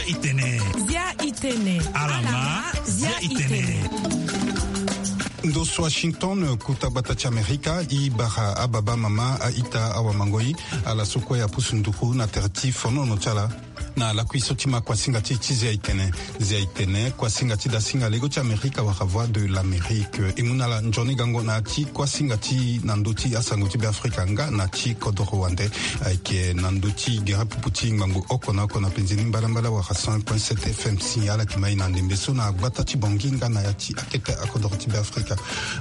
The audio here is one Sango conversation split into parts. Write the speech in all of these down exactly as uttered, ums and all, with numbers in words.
Itene. Zia itene. Alama. Zia itene. Ndo so Washington, kuta gbata ti Amerika, i bara ababa, mama, aita, awamangoi, ala so kue apusu nduku na tere ti fonono ti ala. Na lakui so ti ma kuasinga ti, ti Zia itene. Zia itene, kuasinga ti dasinga lego ti Amerika wala Voix de l'Amérique. E mu na ala nzoni gango na ya ti kuasinga ti na ndö ti asango ti Beafrika nga na ti kodoro wande. Ayeke na ndö ti gere pupu ti ngbangbo oko na oko na penzi ni mbalambala wala cent point sept F M si ala yeke ma e na ndembe so na gbata ti Bangui nga na ya ti akete akodoro ti Beafrika.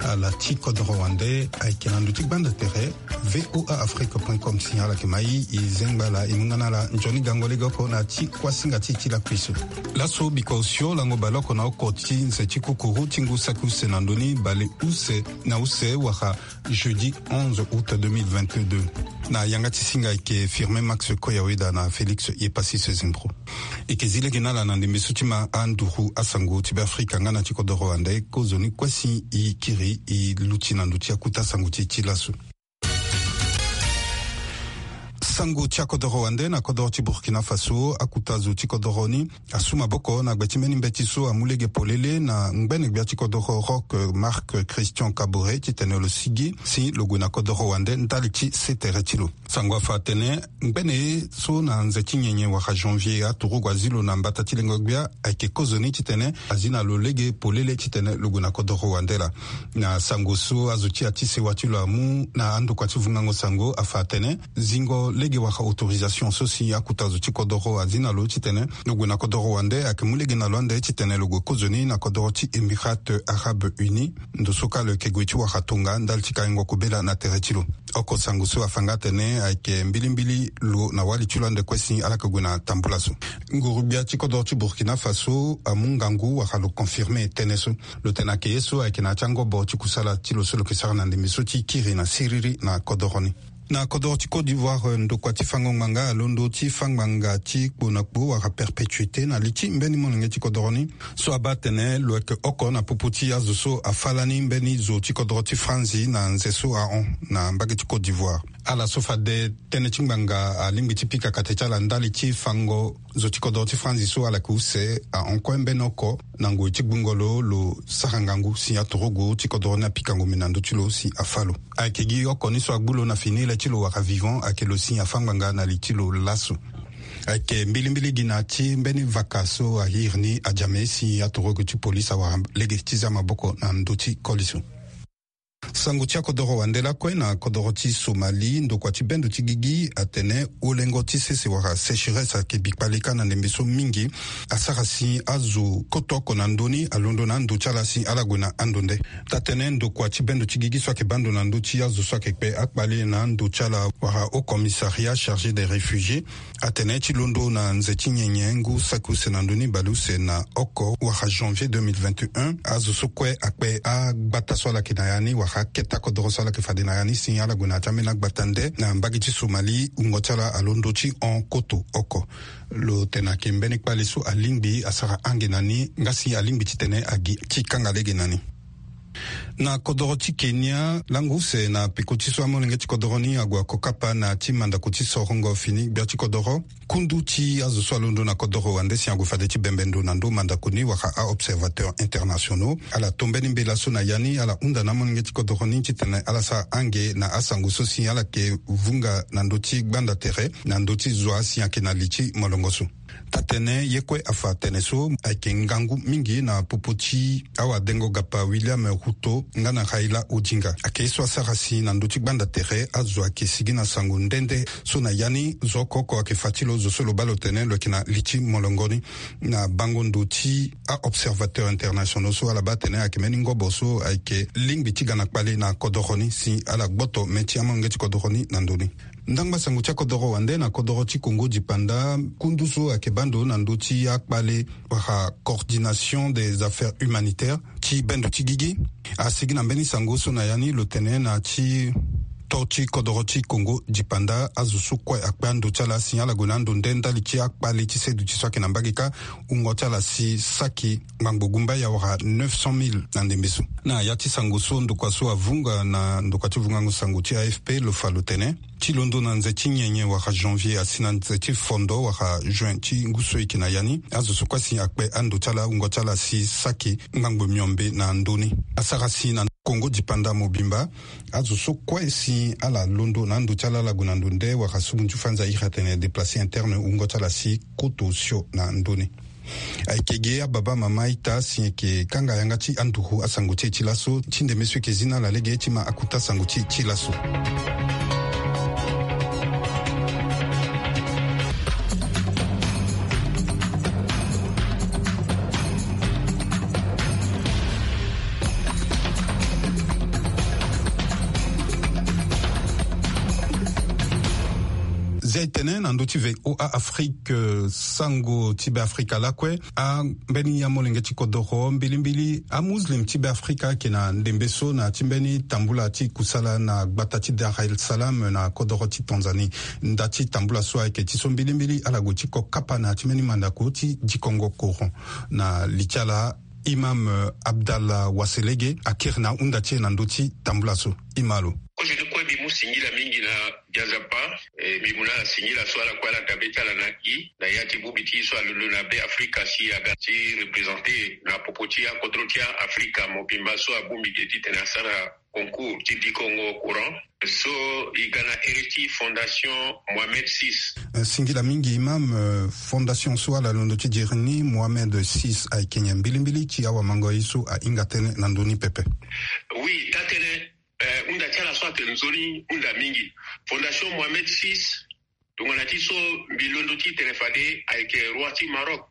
Ala ti kodoro wande ayeke na ndö ti gbanda tere V O A Afrique point com si ala yeke ma e, e zengba ala, e mu nga na ala nzoni gango lege oko na ya ti kuasinga ti e ti lakui so. Laso bikua osio lango baleoko na oko ti nze ti kukuru ti ngu saki use na ndö ni bale use na use wala jeudi onze août deux mille vingt-deux. Na yanga ti singa ayeke Firmin Max Koyaweda na Félix Yepassis Zimbro. E yeke zi lege na ala na ndembe so ti ma anduru asango ti Beafrika nga na ti kodoro wande, kozoni kue si e kiri e luti na ndö ti akuta sango ti e ti laso. Sango ti akodoro wande na kodoro ti Burkina Faso, akuta zo ti kodoro ni asu maboko na gbe ti mbeni mbeti so amu lege polele na ngbene gbia ti kodoro Roch Marc Christian Kaboré titene lo sigi si lo gue na kodoro wande ndali ti se tere ti lo. Sango afa atene ngbene ye so na nze ti nyenye wala janvier aturugu azi lo na mbata ti lengo gbia ayeke kozoni titene azi na lo lege polele titene lo gue na kodoro wande laa. Na sango so azo ti ya ti sewa ti lo amu na andokua ti vungango sango afa atene zingo lege wala autorisation so si akuta zo ti kodoro azi na lo titene lo gue na kodoro wande ayeke mu lege na lo ande titene lo gue kozoni na kodoro ti Émirats Arabes Unis. Ndo so kâ lo yeke gue ti wara tonga ndali ti kaingo kobela na tere ti lo. Oko sango so afa nga atene ayeke mbilimbili lo na wali ti lo ande kue si ala yeke gue na tambula so. Nguru-gbia ti kodoro ti Burkina Faso amu ngangu wala lo confirme tënë so. Lo tene ayeke ye so ayeke na ya ti angobo ti kusala ti lo so lo yeke sara na ndembe so ti kiri na siriri na kodoro ni. Na kodoro ti Côte d'Ivoire, ndokua ti fango ngbanga alondo ti fâ ngbanga ti kpo na kpo wala perpétuité na li ti mbeni molenge ti kodoro ni so abaa atene lo yeke oko na popo ti azo so afâ lani mbeni zo ti kodoro ti Franzi na nze so ahon na mbage ti Côte d'Ivoire. Ala so fade tënë ti ngbanga alingbi ti pika kate ti ala ndali ti fango zo ti kodoro ti Franzi so ala yeke use ahon kue mbeni oko na ngoi ti gbungo lo lo sara ngangu si aturugu ti kodoro ni apika ngombe na ndö ti lo si afâ lo. Ayeke gi oko ni so agbu lo na fini le ti lo wala vivant ayeke lo si afâ ngbanga na li ti lo laso. Ayeke mbilimbili gi na ya ti mbeni vaka so ahiri ni ajame si aturugu ti polisi awara lege ti za maboko na ndö ti koli so. Sango ti akodoro wande lakue na kodoro ti Somalie, ndokua ti bendo ti gigi atene olengo ti sese wala sécheresse ayeke bi kpale kâ na ndembe so mingi asara si azo koto oko na ndö ni alondo na ando ti ala si ala gue na ando nde. Taa-tënë ndokua ti bendo ti gigi so ayeke baa ndo na ndö ti azo so ayeke kpe akpale na ando ti ala wala Haut Commissariat chargé des réfugiés atene ti londo na nze ti nyenye ngu saki use na ndö ni bale use na oko wala janvier deux mille vingt et un, azo so kue akpe agbata so ala yeke na ya ni wala akete akodoro so ala yeke fade na ya ni si ala gue na ya ti ambeni agbata nde na mbage ti Somalie, wungo ti ala alondo ti hon koto oko. Lo tene ayeke mbeni kpale so alingbi asara ange na ni nga si alingbi titene agi ti kanga lege na ni. Na kodoro ti Kenya, lango use na peko ti so amolenge ti kodoro ni ague ako kapa na ya ti mandako ti sorongo fini gbia ti kodoro. Kundu ti azo so alondo na kodoro wande si ague fade ti bembe ndo na ndö mandako ni wala a-observateurs internationaux ala to mbeni mbela so na ya ni ala hunda na amolenge ti kodoro ni titene ala sara ange na asango so si ala yeke vunga na ndö ti gbanda tere na ndö ti zo asi ayeke na li ti molongo so. Taa-tënë ye kue afa tene so ayeke ngangu mingi na popo ti awadengo gapa William Ruto nga na Raila Odinga. Ayeke ye so asara si na ndö ti gbanda tere azo ayeke sigi na sango nde nde so na ya ni zo oko oko ayeke fa ti lo zo so lo baa lo tene lo yeke na li ti molongo ni. Na bango ndo ti a-observateurs internationaux so ala baa atene ayeke mbeni ngobo so ayeke lingbi ti ga na kpale na kodoro ni si ala gboto me ti amolenge ti kodoro ni na ndo ni. Ndangba sango ti akodoro wande na kodoro ti Kongo dipanda, kundu so ayeke baa ndo na ndö ti akpale wala coordination des affaires humanitaires ti bendo ti gigi asigi na mbeni sango so na ya ni lo tene na ti Poto ti kodoro ti Congo dipanda, azo so kue akpe ando ti ala si ala gue na ando nde ndali ti akpale ti seduti so ayeke na mbage kâ, wungo ti ala si saki ngbangbo gumbaya wala neuf cent mille na ndembe so. Na ya ti sango so ndokua so avunga na ndokua ti vungango sango ti A F P lo fa lo tene, ti londo na nze ti nyenye wala janvier asi na nze ti fondo wala juin ti ngu so e yeke na ya ni, azo so kue si akpe ando ti ala, wungo ti ala si saki ngbangbo miombe na ndö ni. Asara si na Congo dipanda mobimba, azo so kue si ala londo na ando ti ala, ala gue na ndo nde wala so munzu fanza iri atene déplacé interne, wungo ti ala si koto osio na ndö ni. Ayeke ge ababa mama ita si eke kanga yanga ti anduru asango ti e ti laso, ti ndembe so eke zi na ala lege ti ma akuta sango ti e ti laso. Zia e tene na ndö ti V O A Afrique, eh, sango ti Beafrika lakue. Ambeni ya molenge ti kodoro mbilimbili amuslim ti Beafrika ayeke na ndembe so na ya ti mbeni tambula ti kusala na gbata ti Dar el Salam na kodoro ti Tanzanie. Nda ti tambula so ayeke ti so mbilimbili ala gue ti ko kapa na ya ti mbeni mandako ti dikongo Coran. Na li ti ala, Imam, eh, Abdallah Waselege akiri na ahunda ti e na ndö ti tambula so. Imalo. Kozo ni kue mbi mu singila mingi na Nzapa, eh, mbi mu na ala singila so ala kue ala dabe ti ala na i na ya ti bongbi ti so alondo na Beafrika si aga ti représenter na popo ti akodro ti Afrika mobimba so abongbi ge titene asara concours ti dikongo Coran so e ga na ere ti Fondation Mohamed six. Eh, singila mingi Imam, eh, fondation so ala londo ti diri ni Mohamed six ayeke nyen mbilimbili ti awamango ye so ahinga tënë na ndö ni pepe? Oui, taa-tënë, eh, hunda ti ala so ayeke nzoni hunda mingi. Fondation Mohamed six, tongana ti so mbi londo titene fade ayeke roi ti Maroc.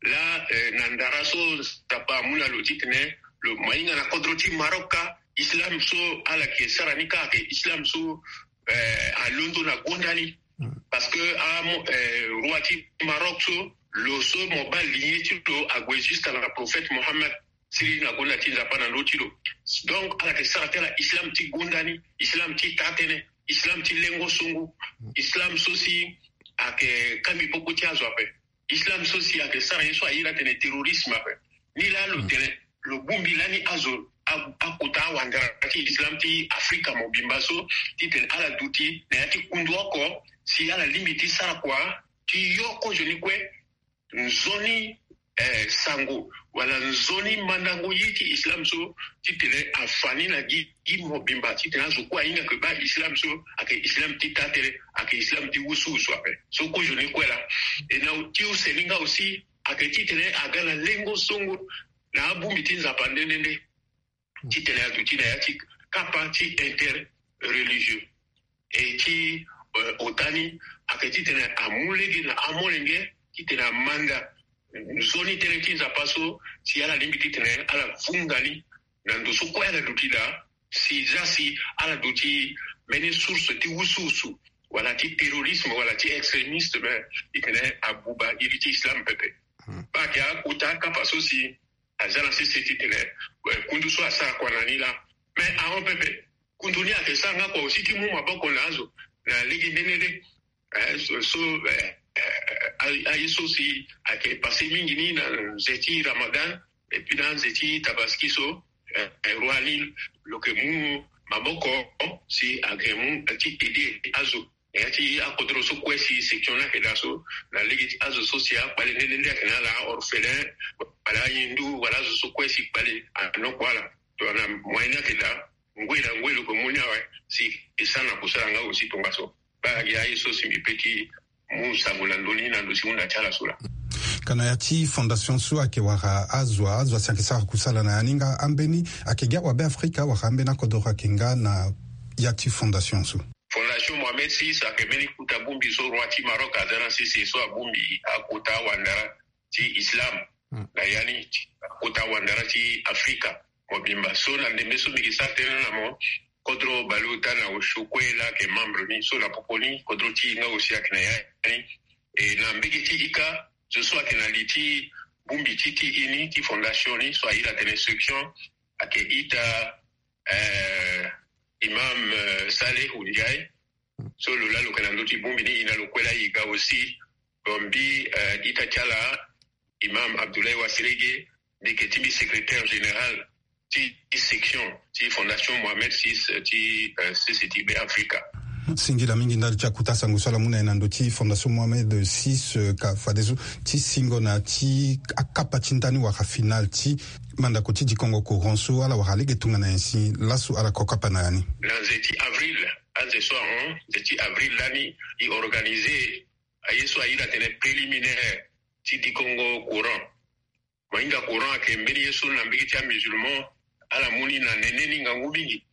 Laa, eh, na ndara so Nzapa amu na lo titene lo mainga na kodro ti Maroc kâ, islam so ala yeke sara ni kâ ayeke islam so, eh, alondo na gonda ni. Parce que amo, eh, roi ti Maroc so, lo so mo baa lignée ti lo ague juste na prophète Mohammed, siriri na gonda ti Nzapa na ndö ti lo. Donc ala yeke sara ti ala islam ti gonda ni, islam ti taa-tënë, islam ti lengo songo, islam so si ayeke kambi popo ti azo ape. Islam so si ayeke sara ye so a iri atene terrorisme ape. Ni laa lo tene lo bongbi lani azo a, akota awandara ti islam ti Afrika mobimba so titene ala duti na ya ti kundu oko si ala lingbi ti sara kua ti yo kozo ni kue nzoni, eh, sango wala nzoni mandango ye ti islam so titene afa ni na gi, gi mobimba titene azo kue ahinga ke baa islam so ayeke islam ti taa-tënë, ayeke islam ti wusuwusu ape. So kozo ni kue laa. E na ti use ni nga aussi ayeke titene aga na lengo songo na abongbi ti Nzapa nde nde nde. Titene aduti na ya ti kapa ti interreligieux. E ti, eh, ota ni ayeke titene amu lege na amolenge titene amanda nzoni tënë ti Nzapa so si ala lingbi titene ala vunga ni na ndo so kue ala duti daa, si zia si ala duti mbeni source ti wusuwusu wala ti terrorisme wala ti extrémisme, titene abuba iri ti islam pepe. Baa ayeke akota akapa so si aza na sese titene, eh, kundu so asara kua na ni laa. Mais ahon pepe, kundu ni ayeke sara nga kua aussi ti mu maboko na azo na lege nde nde nde. Eh, so, so, eh, eh, a, aye so si ayeke passé mingi ni na nze ti Ramadan, et puis na nze ti Tabaski so, eh, eh, roi ni lo yeke mu maboko si ayeke mu ti aider azo. Na ya ti akodro so kue si section ni ayeke daa so, na lege ti azo so si akpale nde nde nde ayeke na ala orphelin, wala ahindu, wala azo so kue si kpale anoko ala. Tongana moyen ni ayeke daa, ngoi na ngoi lo yeke mu ni awe, si e sara na kusala nga aussi tongaso. Baa aye so si mbi pe ti mu sango na ndö ni na ndo ti hunda ti ala so laa. Ka na ya ti fondation so ayeke wara azo, azo asi ayeke sara kusala na ya ni nga ambeni ayeke gi awabe Afrika wala ambeni akodoro ayeke nga na ya ti fondation so? Fondation Mohamed six ayeke mbeni kota bongbi so roi ti Maroc aza na sese so abongbi akota wandara ti islam na ya ni, ti akota wandara ti Afrika mobimba. So na ndembe so mbi yeke sara tënë na mo, kodro baleota na osio kue laa ayeke membre ni. So na popo ni kodro ti e nga aussi ayeke na ya ni. E na mbege ti e kâ, zo so ayeke na li ti bongbi ti, ti e ni, ti fondation ni, so a iri atene section, ayeke ita, eh, Imam Saleh Ndiaye. So lo laa lo yeke na ndö ti bongbi ni, e na lo kue laa e ga aussi. Bon, mbi ita ti ala, Imam Abdoulaye Waselege, mbi yeke ti mbi secrétaire général ti section ti Fondation Mohamed six ti C C T B Africa. Singila mingi ndali ti akuta sango so ala mu na e na ndö ti Fondation Mohamed six, ka fadeso ti singo na ti akapa ti ndani wala final ti mandako ti dikongo Coran so ala wara lege tongana nyen si laso ala kokapa na ya ni. Na nze ti avril, anze so ahon, nze ti avril lani, e organiser aye so a iri atene préliminaire ti dikongo Coran. Mainga Coran ayeke mbeni ye so na mbege ti amusulman ala mu ni na nene ni ngangu mingi.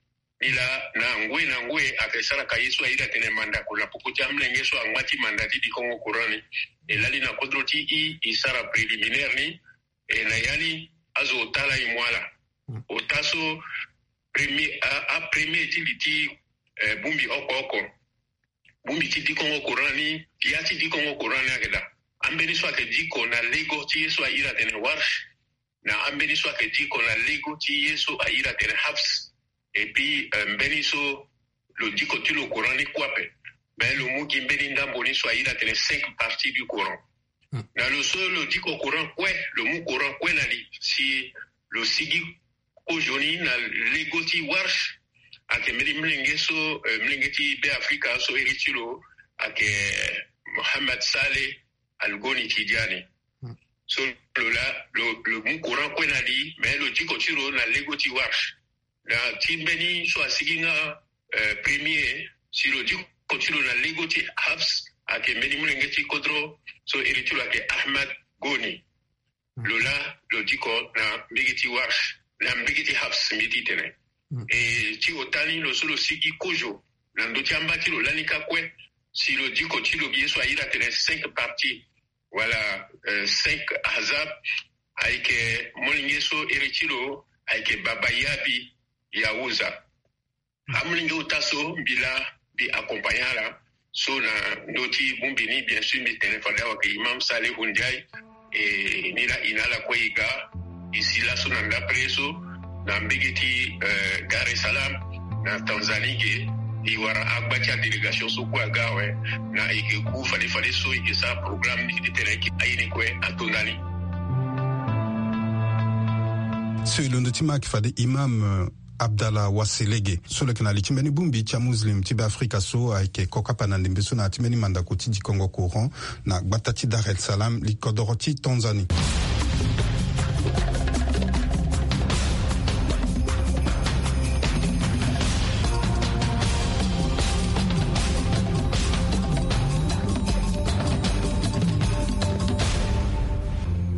Ni laa na ngoi na ngoi ayeke sara ka ye so a iri atene mandako na popo ti amolenge so angba ti manda ti dikongo Coran ni. E lali na kodro ti e, e sara préliminaire ni. E na ya ni azo ota laa e mu ala. Ota so premier, a, apremier ti li ti, eh, bongbi oko oko. Bongbi ti dikongo Coran ni, ya ti dikongo Coran ni ayeke daa. Ambeni so ayeke diko na lego ti ye so a iri atene Warsh. Na ambeni so ayeke diko na lego ti ye so a iri atene Hafs. Et puis, eh, mbeni so lo diko ti lo Coran ni kue ape. Mais lo mu gi mbeni ndambo ni so a iri atene cinq parties du Coran. Na lo so lo diko Coran kue, lo mu Coran kue na li si lo sigi kozo ni na lego ti Warsh. Ayeke mbeni molenge so, eh, molenge ti Be Afrika so iri ti lo ayeke Mohamed Saleh Al Goni Tidiane. So lo laa lo, lo mu Coran kue na li, mais lo diko ti lo na lego ti Warsh. Na ti mbeni so asigi nga, eh, premier, si lo diko ti lo na lego ti Hafs, ayeke mbeni molenge ti kodro so iri ti lo ayeke Ahmad Goni. Lo laa lo diko na mbege ti Warsh, na mbege ti Hafs mbi ti tene. E ti ota ni lo so lo sigi kozo na ndö ti amba ti lo lani ka kue, si lo diko ti lo gi ye so a iri atene cinq parties, wala, eh, cinq ahzab, ayeke molenge so iri ti lo ayeke Baba Yabi Yahuza. Amolenge ota so mbi laa mbi accompagner ala. So na ndö ti bongbi ni, bien sûr, mbi tene fade awa ke Imam Salihu Ndiaye. E ni laa e na ala kue e ga. E si laso na ndapre so na mbege ti, eh, Dar es Salaam na Tanzanie ge. E wara agba ti adélégation so kue aga awe. Na e ke ku fade fade so e ke sara programme ni ti tene ayeke aye ni kue ato ndani. So e londo ti ma ayeke fade Imam, eh, Abdallah Waselege, so lo yeke na li ti mbeni bongbi ti amuslim ti Be Afrika so ayeke kokapa na ndembe so na ya ti mbeni mandako ti dikongo Coran na gbata ti Dar es Salaam, li kodoro ti Tanzanie.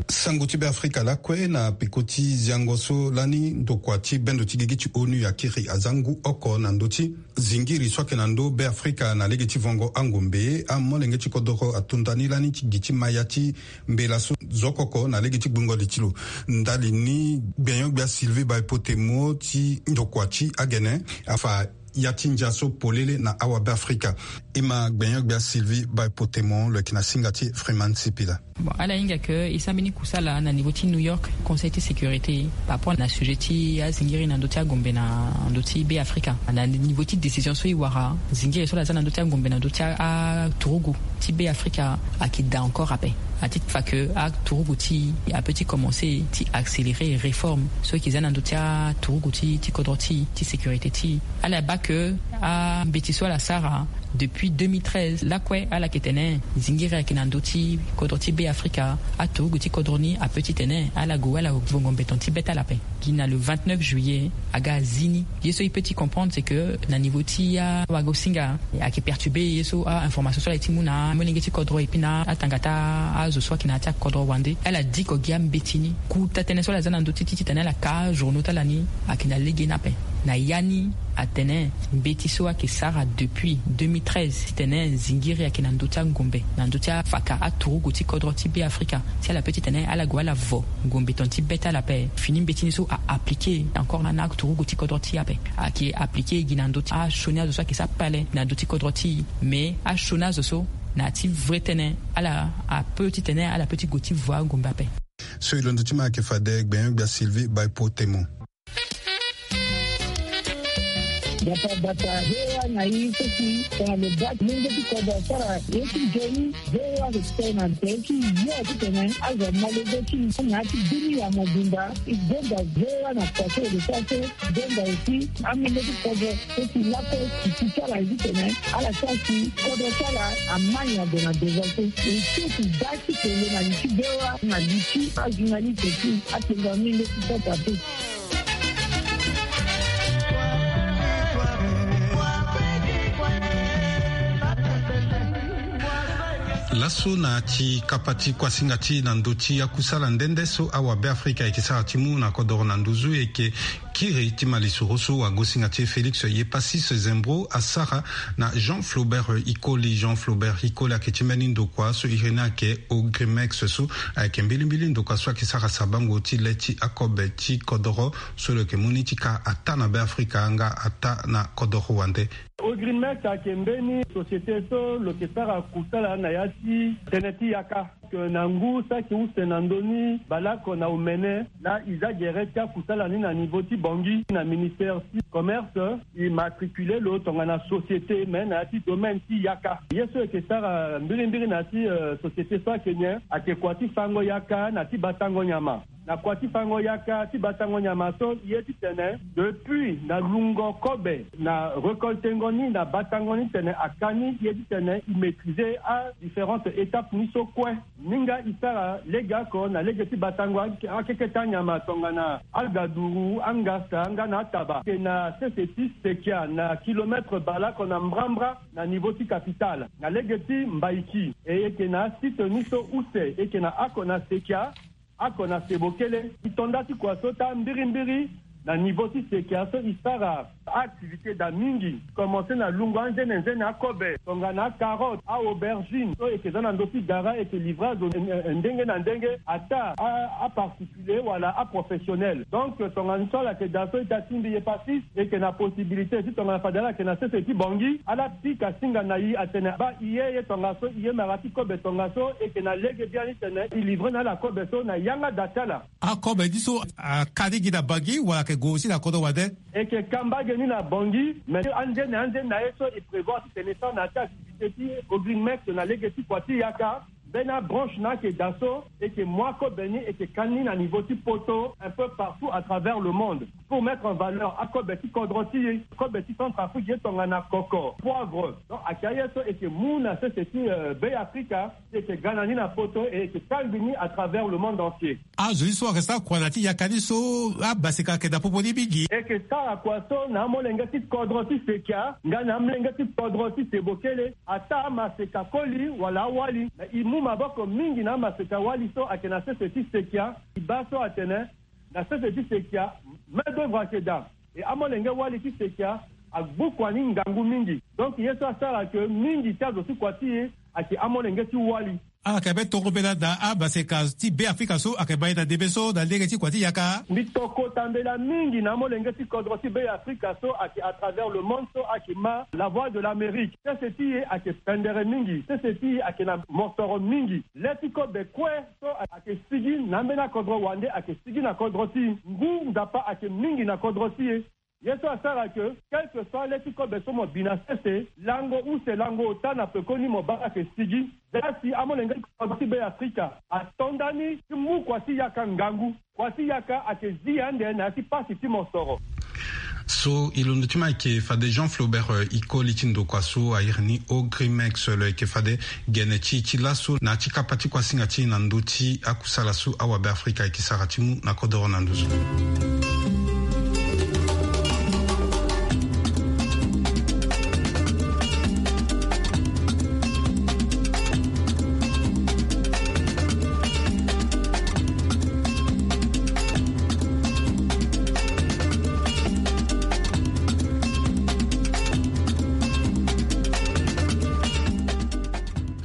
Sango ti Be Afrika lakue na peko ti ziango so lani ndokua ti bendo ti gigi ti onu ya kiri aza ngu oko na ndö ti zingiri so ayeke na ndö Be Afrika na lege ti vongo angombe. Amolenge ti kodoro ato ndani lani ti gi ti maya ti mbela so zo oko oko na lege ti gbungo li ti lo. Ndali ni gbenyo-gbia Sylvie Baipotemo ti ndokua ti agene afa ya ti ndia so polele na awa Be Afrika. E ma gbenyo-gbia Sylvie Baipotemo, lo yeke na singa ti Freeman Sipila. Bon, ala hinga ke e sara mbeni kusala na niveau ti New York, Conseil ti sécurité, par rapport na sujet ti azingiri na ndö ti agombe na ndö ti Be Afrika. Na niveau ti décision so e wara, zingiri so ala za na ndö ti agombe na ndö ti a, aturugu ti Be Afrika ayeke daa encore ape. A ti fa ke aturugu ti e apeut ti commencer ti accélérer réforme so e yeke za na ndö ti aturugu ti, ti kodro ti, ti sécurité ti e. Ala baa ke ambeti so ala sara depuis deux mille treize lakue, ala yeke tene zingiri ayeke na ndö ti kodro ti Be Afrika. Aturugu ti kodro ni apeut ti tene ala gue ala vongo mbeton ti be ti ala ape. Gi na le vingt-neuf juillet aga azi ni. Ye so e peut ti comprendre, c'est que na niveau ti awagosinga ayeke perturber ye so a-information so ala ye ti mu na amolenge ti kodro et puis na atanga ti azo so ayeke na ya ti akodro wande. Ala diko gi ambeti ni. Kota tënë so ala za na ndö ti, ti titene ala ka ajournaux ti ala ni ayeke na lege ni ape. Na ya ni atene mbeti so ayeke sara depuis deux mille treize titene zingiri ayeke na ndö ti angombe, na ndö ti afaka aturugu ti kodro ti Be Afrika, si ala peut titene ala gue ala vo ngombe tongana ti be ti ala ape. Fini mbeti ni so a appliquer encore na, na aturugu ti kodro ti e ape. Ayeke appliquer gi na ndö ti asioni azo so ayeke sara pale na ndö ti kodro ti e. Mais asioni azo so na ya ti vrai tënë, ala apeut titene ala peut ti gue ti vo angombe ape. So e londo ti ma ayeke fade gbenyo-gbia Sylvie Baipotemo. Bata bata V O A na i so si tongana lo baa ti lenge ti kodro asara ye ti nzoni, V O A ayeke tene na tere ti yo titene azo amolenge ti na ya ti bini ya mobimba. E gonda V O A na kua so e lo sara so, e gonda aussi amolenge ti kodro so si lakue e ti ti ti ala ye titene ala sara si kodro ti ala ama nyango na devant so. E ti e ti baa ti kele na li ti V O A na li ti ajournaliste ti atenga mingi ti sasa te. Laso na ti kapa ti kuasinga ti na ndö ti akusala nde nde so awabe Afrika ayeke sara ti mu na kodoro na nduzu, e yeke kiri ti malisoro so wagosinga ti e Félix Yepacis Zembro asara na Jean Flaubert Ikoli. Jean Flaubert Ikoli ayeke ti mbeni ndokua so iri ni ayeke Ogrimex so ayeke mbilimbili ndokua so ayeke sara sabango ti le ti akobe ti kodoro so lo yeke mu ni ti ka ataa na Beafrika nga ataa na kodoro wande. Ogrimex ayeke mbeni société so lo yeke sara kusala na ya ti tënë ti yaka. Ke na ngu saki use na ndö ni baleoko na omene laa e za gere ti akusala ni na niveau ti Bangui na ministère ti commerce, e matricule lo tongana société me na ya ti domaine ti yaka. Ye so e yeke sara mbirimbiri na ya ti, euh, société so ayeke nyen? Ayeke kua ti fango yaka na ti batango nyama. Na kua ti fango yaka ti batango nyama so, e ye titene depuis na lungo kobe na récoltengo ni na batango ni titene aka ni, e ye titene e maîtriser adifférentes étapes ni so kue. Minga e sara legeoko na lege ti batango ake, akeke ti anyama tongana agaduru, angasa nga na ataba. Ayeke na sese ti sekia na kilomètre baleoko na mbrambra na niveau ti capitale. Na lege ti Mbaiki, e yeke na asite ni so use, e yeke na oko na sekia, oko na sebokele. E to nda ti kua so taa mbirimbiri na niveau ti sekia so e sara activité daa mingi. Commencer na lungo anzene nzene akobe tongana acarotte, aaubergine so e yeke za na ndö ti gara, e yeke livrer azo, eh, eh, ndenge na ndenge, ataa a, aparticulier wala aprofessionnel. Donc tongana so ala yeke daa so ita ti mbi Yepacis, e yeke na possibilité ti tongana fade ala yeke na sese ti Bangui, ala pika singa na e atene baa e ye, ye tongaso e ye mara ti kobe tongaso, e yeke na lege biani titene e livrer na ala kobe so na yanga daa ti ala. Akobe ni so aka ni gi na Bangui wala ayeke gue aussi na kodro wande? E yeke ka mbage ni na Bangui, mais anzene anzene na ye so e prévoir titene e sara na ya ti activité ti Ogrimex na lege ti kua ti yaka, mbeni abranche ni ayeke daa so, e yeke mu akobe ni, e yeke ka ni na niveau ti poto, un peu partout à travers le monde, pour mettre en valeur akobe ti kodro ti e, kobe ti Centrafrique, ye tongana koko, poivre. Donc ayeke aye so e yeke mu na sese ti, euh, Beafrika, e yeke ga na ni na poto, e yeke kangbi ni à travers le monde entier. Azo ni so ayeke sara kua na ya ti yaka ni so, amaseka ayeke daa popo ni mingi. E yeke sara kua so na amolenge ti kodro ti sekia nga na amolenge ti kodro ti sebokele, ataa amaseka koli wala awali. Na e mu maboko mingi na amaseka wali so ayeke na sese ti sekia. E baa so atene na sese ti sekia, main d'œuvre ayeke daa. E amolenge wali ti sekia agbu kua ni ngangu mingi. Donc ye so asara ke mingi ti azo ti kua ti e ayeke amolenge ti wali. Ala yeke mbeni tongobela na amaseka ti Beafrika so ayeke ma e na ndembe so na lege ti kua ti yaka. Mbi to kota mbela mingi na amolenge ti kodro ti Beafrika so ayeke à travers le monde so ayeke ma La Voix de l'Amérique. Sese ti e ayeke pendere mingi. Sese ti e ayeke na mosoro mingi. Le ti kobe kue so ayeke sigi na ambeni akodro wande ayeke sigi na kodro ti e. Ngu Nzapa ayeke mingi na kodro ti e. Ye so asara ke, quel que soit le ti kobe so mo bi na sese, lango use lango ota na pekoni mo baa ayeke sigi. Za si amolenge ti kodro ti Beafrika ato ndani ti mu kua ti yaka ngangu. Kua ti yaka ayeke zi ande na ya ti pasi ti mosoro. So e londo ti ma ayeke fade Jean Flaubert, euh, Ikoli ti ndokua so a iri ni Ogrimex, lo yeke fade gene ti e ti laso na ya ti kapa ti kuasinga ti e na ndö ti akusala so awabe Afrika ayeke sara ti mu na kodoro na nduzu.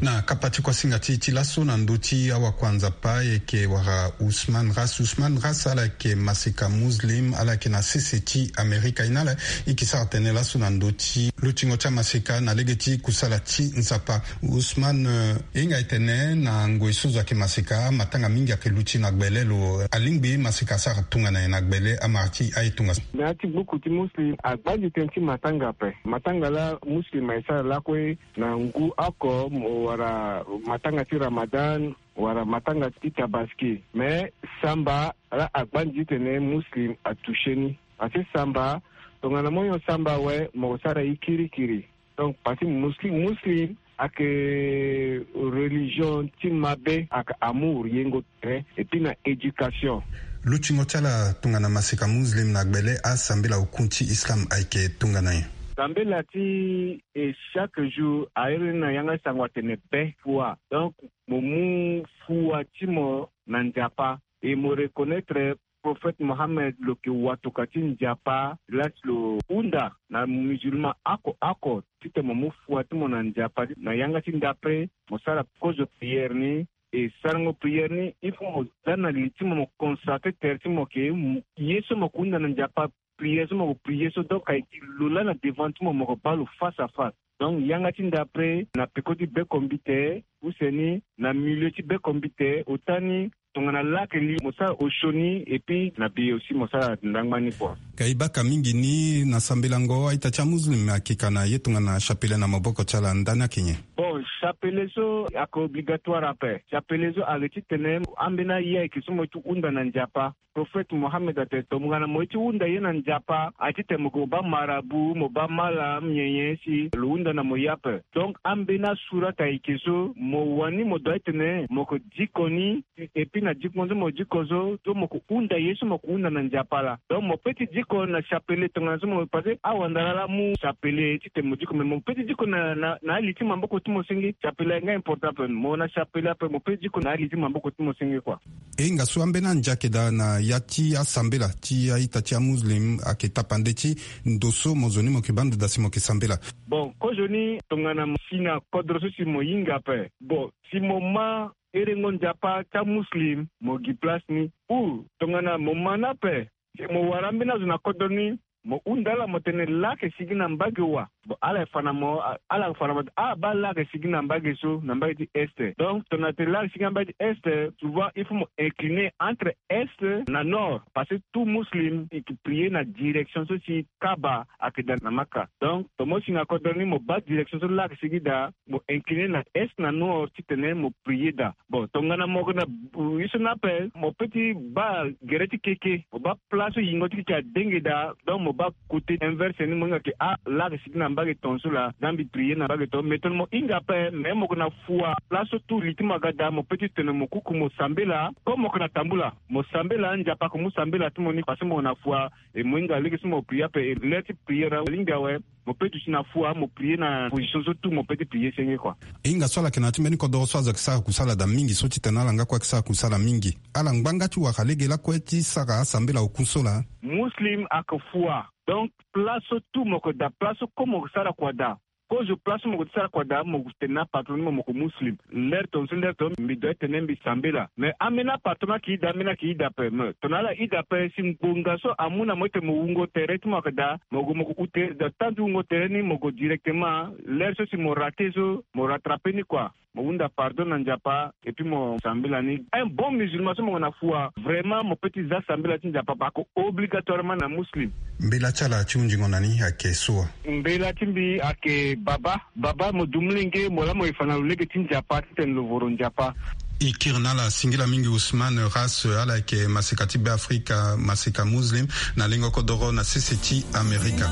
Na Apati kuasinga ti ti laso na ndö ti awakuanzapa eke wara Ousmane Ras. Ousmane Ras ala yeke maseka muslim, ala yeke na sese ti Amerika. Ina ala eke sara tene laso na ndö ti lutingo ti amaseka na lege ti kusala ti Nzapa. Ousmane, eh, hinga e tene na ngoi so zo ayeke maseka, matanga mingi ayeke luti na gbele lo. Alingbi maseka asara tongana nyen na gbele amara ti aye tongana so? Na ya ti gbuku ti muslim, agbanzi tënë ti matanga ape. Matanga laa muslim aye sara lakue na ngu oko mo wara matanga ti Ramadan wala matanga ti Tabaski. Mais samba laa agbanzi ti tene muslim atouché ni. Parce que samba, tongana mo nyon samba awe, mo sara ye kirikiri. Donc parce que muslim, muslim ayeke religion ti mabe, ayeke amour, yengo tere, et puis na éducation. Lutingo ti ala tongana maseka muslim na gbele, asambela hukun ti islam ayeke tongana nyen? Sambela ti e chaque jour a iri ni na yanga ti sango atene be fua. Donc mo mu fua ti mo na Nzapa, e mo reconnaître prophète Mohammed lo yeke watoka ti Nzapa, laa si lo hunda na musulman oko oko titene mo mu fua ti mo na Nzapa. Na yanga ti ndapre mo sara kozo prière ni, e sarango prière ni, il faut mo za na li ti mo, mo consacrer tere ti mo ke, ye so mo ke hunda na Nzapa, prière so mo ke prière so, donc ayeke lo laa na devant ti mo, mo ke baa lo face à face. Donc yanga ti ndapre na peko ti beko mbite, use ni na milieu ti beko mbite, ota ni tongana laa ayeke li mo sara osio ni, et puis na bi aussi mo sara ndangba ni kua. Ka e baka mingi ni na sambelango, a-ita ti amuslim ayeke ka na ye tongana chapelet na maboko ti ala, ndani ayeke nyen? Bon, chapelet so ayeke obligatoire ape. Chapelet so ayeke titene ambeni aye ayeke so mo ye ti hunda na Nzapa. Prophète Mohammed atene tongana mo ye ti hunda ye na Nzapa, aye titene mo ke mo baa marabout, mo baa malam, nyen nyen si lo hunda na mo ye ape. Donc ambeni asurat ayeke so mo wani, mo doit titene mo ke diko ni, et puis na diko so mo diko so, so mo ke hunda ye so mo ke hunda na Nzapa laa. Donc mo peut ti diko na chapelet tongana so mo, parce que awandara laa amu chapelet titene mo diko, mais mo peut ti diko na, na, na ali ti maboko ti mo senge. Chapelet ayeke nga important ape. Mo na chapelet ape, mo peut ti diko na ali ti maboko ti mo senge kua. E hinga so ambeni andia ayeke daa na ya ti asambela ti a-ita ti amuslim ayeke tapande ti ndo so mo zo ni mo yeke baa ndo daa si mo yeke sambela? Bon, kozoni tongana mo si na kodro so si mo hinga ape. Bon, si mo ma herengo Nzapa ti amuslim, mo gi place ni. Ou tongana mo ma ni ape, si mo wara ambeni azo na kodro ni, mo hunda ala mo tene laa ayeke sigi na mbage wa. Bon, ala yeke fa na mo, ala yeke fa na mo, ah, baa laa ayeke sigi na mbage so, na mbage ti est. Donc tongana tene laa ayeke sigi na mbage ti est, souvent il faut mo incliner entre est na nord, parce que tout muslim e ke prier na direction so si Kaaba ayeke daa na Maka. Donc tongana mo si na kodro ni, mo baa direction so laa ayeke sigi daa, mo incliner na est na nord titene mo prier daa. Bon, tongana mo yeke na, euh, ye so ni ape, mo peut ti baa gere ti keke, mo baa place so yingo ti keke adenge daa, donc mo baa côté inverse ni, mo hinga ke, ah, laa ayeke sigi na mbage tongaso laa, nda mbi prier na mbage tongaso. Mais tongana mo hinga ape, mais mo yeke na fua, place so tout li ti mo aga daa, mo peut ti tene mo kuku mo sambela. Comme mo yeke na tambula, mo sambela, Nzapa ayeke mu sambela ti mo ni, parce que mo yeke na fua, e mo hinga lege so mo prier ape, e l'heure ti prier alingbi awe. Mo peut duti na fua, mo prier na position so tout mo peut ti prier senge kua. E hinga so ala yeke na ya ti mbeni kodoro so azo ayeke sara kusala daa mingi so titene ala nga kue ayeke sara kusala mingi. Ala ngbanga ti wara lege lakue ti sara asambela hukun so laa. Muslim ayeke fua. Donc place so tout mo yeke daa, place so comme mo yeke sara kua daa. Kozo place so mo yeke sara kua daa, mo tene na apatron ni mo, mo yeke muslim. L'heure tongaso, l'heure tongaso mbi doit tene mbi sambela. Mais ambeni apatron ayeke daa, ambeni ayeke daa ape. Mais tongana ala daa ape, si ngbonga so amu na mo titene mo wungo tere ti mo ayeke daa, mo gue mo gue hu tere daa, temps ti wungo tere ni mo gue directement. L'heure so si mo raté so, mo rattrapé ni kua. Mo hunda pardon na Nzapa, et puis mo sambela ni. Un bon musulman so mo yeke na fua, vraiment mo peut ti za sambela ti Nzapa, parce que obligatoirement na muslim. Mbela ti ala ti hunzingo na ni ayeke so wa? Mbela ti mbi ayeke Baba. Baba, mo du molenge, mo laa mo ye fa na lo lege ti Nzapa titene lo voro Nzapa. E kiri na ala singila mingi Ousmane Ras, ala yeke maseka ti Beafrika, maseka muslim, na lengo kodoro na sese ti Amerika.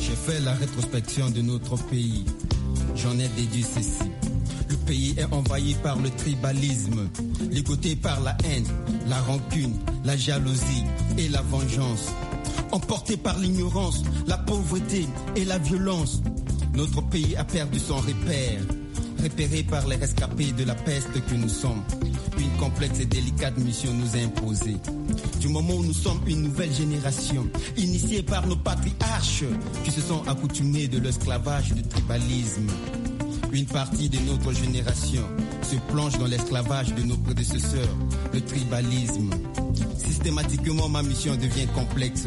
J'ai fait la rétrospection de notre pays. J'en ai déduit ceci. Le pays est envahi par le tribalisme, ligoté par la haine, la rancune, la jalousie et la vengeance. Emporté par l'ignorance, la pauvreté et la violence, notre pays a perdu son repère. Repéré par les rescapés de la peste que nous sommes, une complexe et délicate mission nous est imposée. Du moment où nous sommes une nouvelle génération, initiée par nos patriarches qui se sont accoutumés de l'esclavage du tribalisme, Une partie de notre génération se plonge dans l'esclavage de nos prédécesseurs, le tribalisme. Systématiquement, ma mission devient complexe,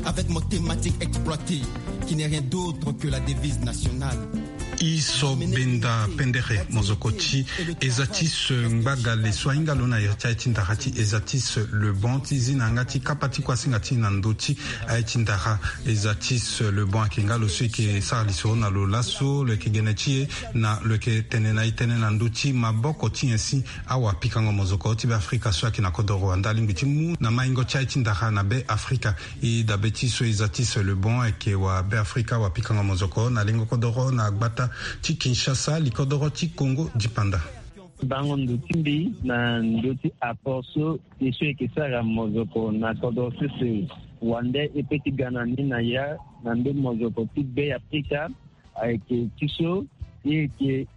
avec ma thématique exploitée, qui n'est rien d'autre que la devise nationale. I so benda pendere mozoko ti eza ti so ngbagale so ahinga lo na iri ti aye ti ndara ti eza ti so le bon ti zi na yanga ti kapa ti kuasinga ti na ndö ti aye ti ndara. Eza ti so le bon ayeke nga lo so eke sara lisoro na lo laso lo yeke gene ti e na lo yeke tene na e tënë na ndö ti maboko ti nyen si awapikango mozoko ti Be Afrika so ayeke na kodoro wande alingbi ti mu na maingo ti aye ti ndara na Be Afrika. E dabe ti so eza ti so le bon ayeke wa Be Afrika wapikango mozoko na lengo kodoro na gbata ti Kinshasa, li kodoro ti Congo dipanda. Bango ndo ti mbi na ndo ti apport so e so e yeke sara mozoko na kodro sese wande e pe ti ga na ni na ya na ndo mozoko ti Be Afrika ayeke ti so e yeke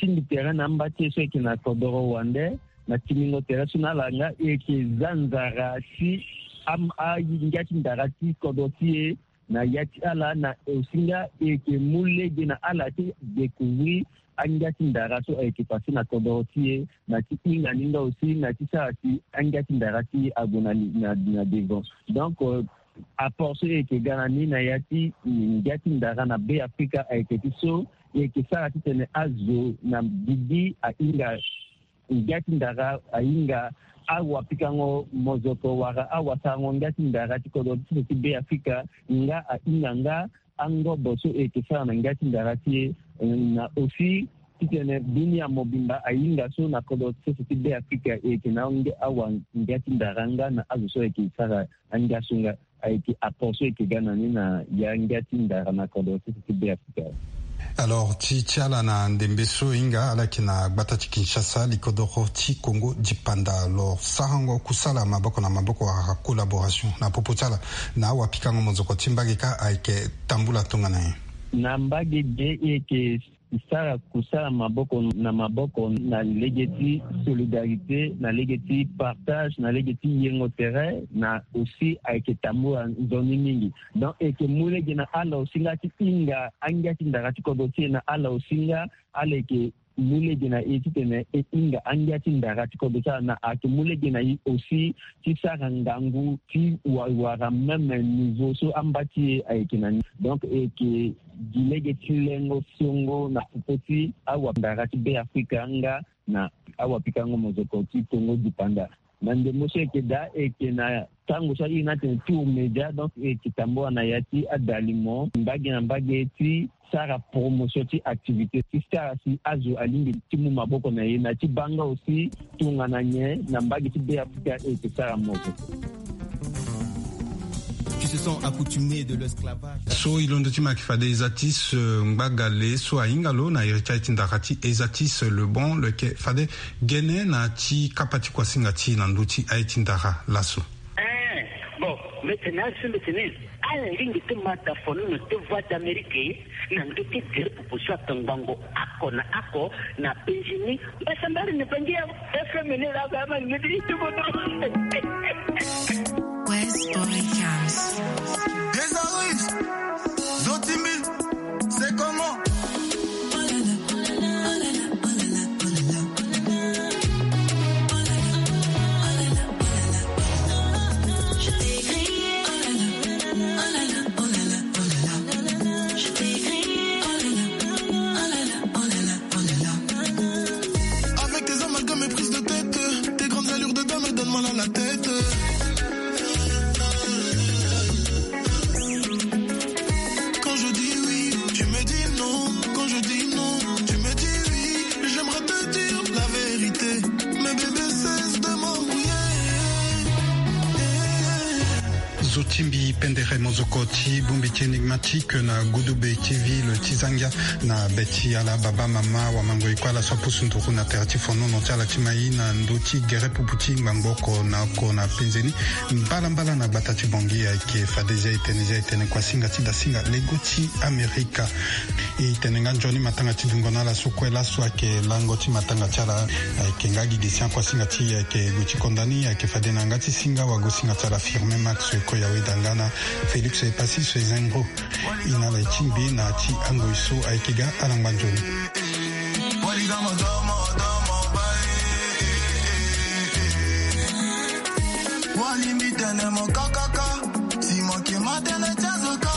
tingbi tere na amba ti e so e yeke na kodro wande na timbingo tere so na ala nga e yeke za nzara ti am- angia ti ndara ti kodro ti e na ya ti ala na osinga e yeke mu lege na ala ti découvrir angia ti ndara so ayeke pase na kodoro ti e na ti hinga ni nga aussi na ti sara si angia ti ndara ti e ague na, na, na devant. Donc euh, apport so e yeke ga na ni na ya ti ngia ti ndara na Be Afrika ayeke ti so e yeke sara titene azo na bibi ahinga ngia ti ndara ahinga awapikango mozoko wala awasarango ngia ti ndara ti kodro ti so ti Be Afrika nga ahinga nga angobo so e yeke sara na ngia ti ndara ti e na aussi titene dunia mobimba ahinga so na kodro ti so ti Be Afrika e yeke na awa ngia ti ndara nga na azo so e yeke sara angia so nga. Ayeke apport so e yeke ga na ni na ya ngia ti ndara na kodro ti so ti Be Afrika. Alors ti ti ala na ndembe so e hinga ala yeke na gbata ti Kinshasa li kodoro ti Congo dipanda. Alors sarango kusala maboko na maboko wala collaboration na popo ti ala na awapikango mozoko ti mbage kâ ayeke tambula tongana nyen? Na mbage ge e yeke sara kusala maboko na maboko na lege ti solidarité na lege ti partage na lege ti yengo tere na aussi ayeke tambula nzoni mingi. Donc e yeke mu lege na ala aussi nga ti hinga angia ti ndara ti kodro ti e na ala aussi nga ala yeke mu lege na e titene e hinga angia ti ndara ti kodro ti ala na ayeke mu lege na e aussi ti sara ngangu ti wa- wara même niveau so amba ti e ayeke na ni. Donc e yeke gi lege ti lengo songo na popo ti awapika ndara ti Be Afrika nga na awapikango mozoko ti Congo dipanda. Na ndembo so e yeke daa e yeke na tango so airi ni atene tour média, donc e yeke tambula na ya ti adalimo mbage na mbage ti sara promotion ti activité ti sara si azo alingbi ti mu maboko na e na ti baa nga aussi tongana nyen na mbage ti Be Afrika e yeke sara mozoko. Qui se sont accoutumés de l'esclavage. So e londo ti ma yeke fade eza ti so ngbagale so ahinga lo na iri ti aye ti ndara ti eza ti so le bon lo yeke fade gene na ti kapa ti kuasinga ti e na ndö ti aye ti ndara laso. Eh, bon, mbi tene azo mbi tene ala lingbi ti ma da fonono ti Voix d'Amérique na ndö ti gere popo so atongbango oko na oko na penzi ni. Mbasambari ni bangi ya F M ni la ba ma ni ti bodo. West Boy House. Des artistes, Zotimbi, c'est comment? Avec tes amalgames et prises de tête, tes grandes allures de dame donnent mal à la tête. Quand je dis oui, tu me dis non. Quand je dis non, tu me dis oui. J'aimerais te dire la vérité. Mais bébé, cesse de m'embrouiller. Zotimbi pendere mozoko ti bongbi ti Enigmatique na Gudube ti ville ti Zangia na be ti ala baba mama wamangoi kue ala so apusu nduru na tere ti fonono ti ala ti mai na ndö ti gere pupu ti ngbangbo oko na oko na penze ni. Mbalambala na gbata ti Bangui ayeke fade zia e tene zia e tene kuasinga ti dasinga lego ti Amerika. E tene nga nzoni matanga ti dungo na ala so kue laso ayeke lango ti matanga ti ala. Ayeke nga gi gi sian kuasinga ti e ayeke gue ti konda ni ayeke fade na yanga ti singa wagosinga ti ala Firmin Max Koyaweda nga na Félix Epassi so e zengro. E na ala e ti mbi na ti angoi so ayeke ga ala ngba nzoni. Wali mbi tene mo kakaka. Si mo ke ma tene ti azo ka.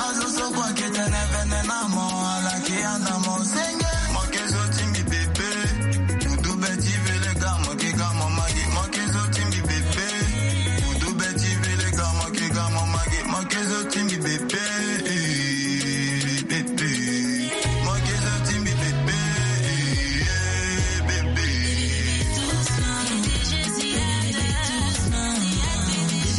Azo so kue ake tene vene na mo, ala ke ya na mo.